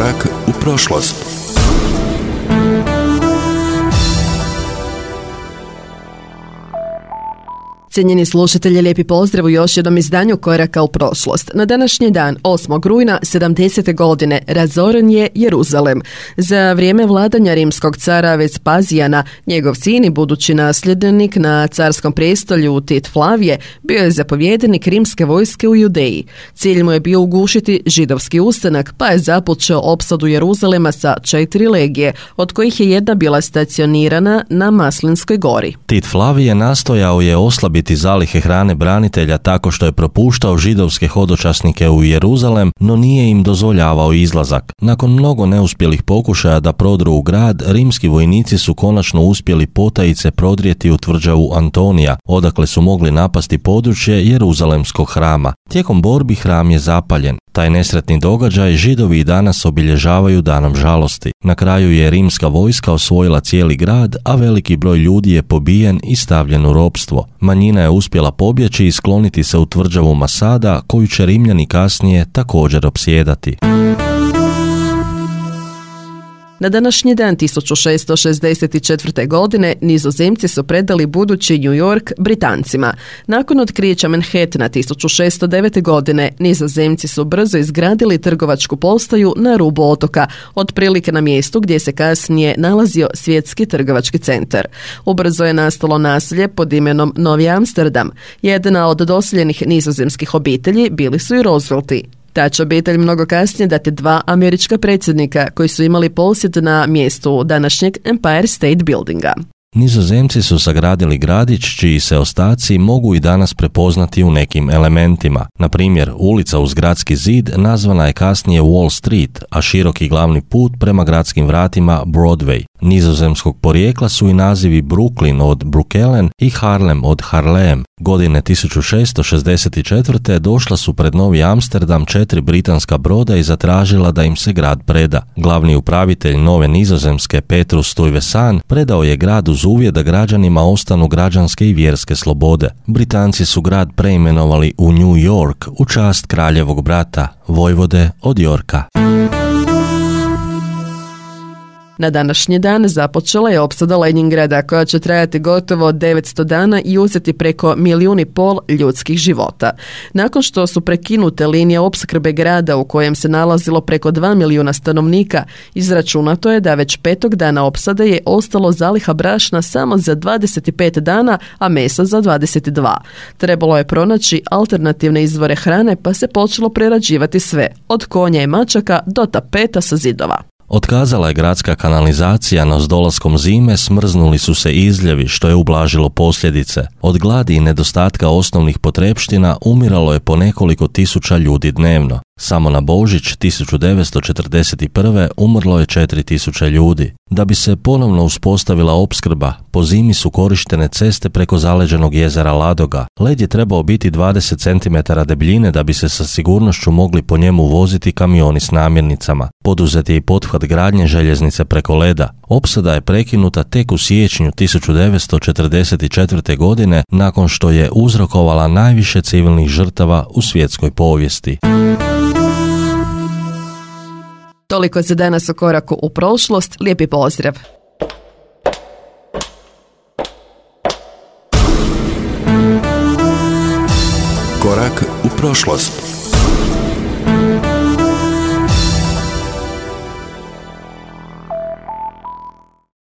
Korak u prošlost. Cijenjeni slušatelji, lijepi pozdrav u još jednom izdanju Koraka u prošlost. Na današnji dan, 8. rujna 70. godine, razoren je Jeruzalem. Za vrijeme vladanja rimskog cara Vespazijana, njegov sin i budući nasljednik na carskom prestolju Tit Flavije bio je zapovjednik rimske vojske u Judeji. Cilj mu je bio ugušiti židovski ustanak, pa je započeo opsadu Jeruzalema sa 4 legije, od kojih je jedna bila stacionirana na Maslinskoj gori. Tit Flavije nastojao je oslabiti zalihe hrane branitelja tako što je propuštao židovske hodočasnike u Jeruzalem, no nije im dozvoljavao izlazak. Nakon mnogo neuspjelih pokušaja da prodru u grad, rimski vojnici su konačno uspjeli potajice prodrijeti u tvrđavu Antonija, odakle su mogli napasti područje Jeruzalemskog hrama. Tijekom borbi hram je zapaljen. Taj nesretni događaj Židovi i danas obilježavaju danom žalosti. Na kraju je rimska vojska osvojila cijeli grad, a veliki broj ljudi je pobijen i stavljen u ropstvo. Manjina je uspjela pobjeći i skloniti se u tvrđavu Masada, koju će Rimljani kasnije također opsjedati. Na današnji dan 1664. godine Nizozemci su predali budući New York Britancima. Nakon otkrića Manhattana 1609. godine Nizozemci su brzo izgradili trgovačku postaju na rubu otoka, otprilike na mjestu gdje se kasnije nalazio svjetski trgovački centar. Ubrzo je nastalo naselje pod imenom Novi Amsterdam. Jedna od doseljenih nizozemskih obitelji bili su i Roosevelti. Ta će obitelj mnogo kasnije dati 2 američka predsjednika koji su imali posjed na mjestu današnjeg Empire State Buildinga. Nizozemci su sagradili gradić čiji se ostaci mogu i danas prepoznati u nekim elementima. Na primjer, ulica uz gradski zid nazvana je kasnije Wall Street, a široki glavni put prema gradskim vratima Broadway. Nizozemskog porijekla su i nazivi Brooklyn od Brookelen i Harlem od Harlem. Godine 1664. došla su pred Novi Amsterdam 4 britanska broda i zatražila da im se grad preda. Glavni upravitelj Nove Nizozemske, Petrus Stuyvesant, predao je grad uz uvjet da građanima ostanu građanske i vjerske slobode. Britanci su grad preimenovali u New York u čast kraljevog brata, vojvode od Yorka. Na današnji dan započela je opsada Leningrada koja će trajati gotovo 900 dana i uzeti preko 1,5 milijuna ljudskih života. Nakon što su prekinute linije opskrbe grada u kojem se nalazilo preko 2 milijuna stanovnika, izračunato je da već 5. dana opsade je ostalo zaliha brašna samo za 25 dana, a mesa za 22. Trebalo je pronaći alternativne izvore hrane pa se počelo prerađivati sve, od konja i mačaka do tapeta sa zidova. Otkazala je gradska kanalizacija, no s dolaskom zime smrznuli su se izljevi, što je ublažilo posljedice. Od gladi i nedostatka osnovnih potrepština umiralo je po nekoliko tisuća ljudi dnevno. Samo na Božić 1941. umrlo je 4.000 ljudi. Da bi se ponovno uspostavila opskrba, po zimi su korištene ceste preko zaleđenog jezera Ladoga. Led je trebao biti 20 cm debljine da bi se sa sigurnošću mogli po njemu voziti kamioni s namirnicama. Poduzet je i pothvat gradnje željeznice preko leda. Opsada je prekinuta tek u siječnju 1944. godine nakon što je uzrokovala najviše civilnih žrtava u svjetskoj povijesti. Toliko za danas o Koraku u prošlost. Lijepi pozdrav! Korak u prošlost.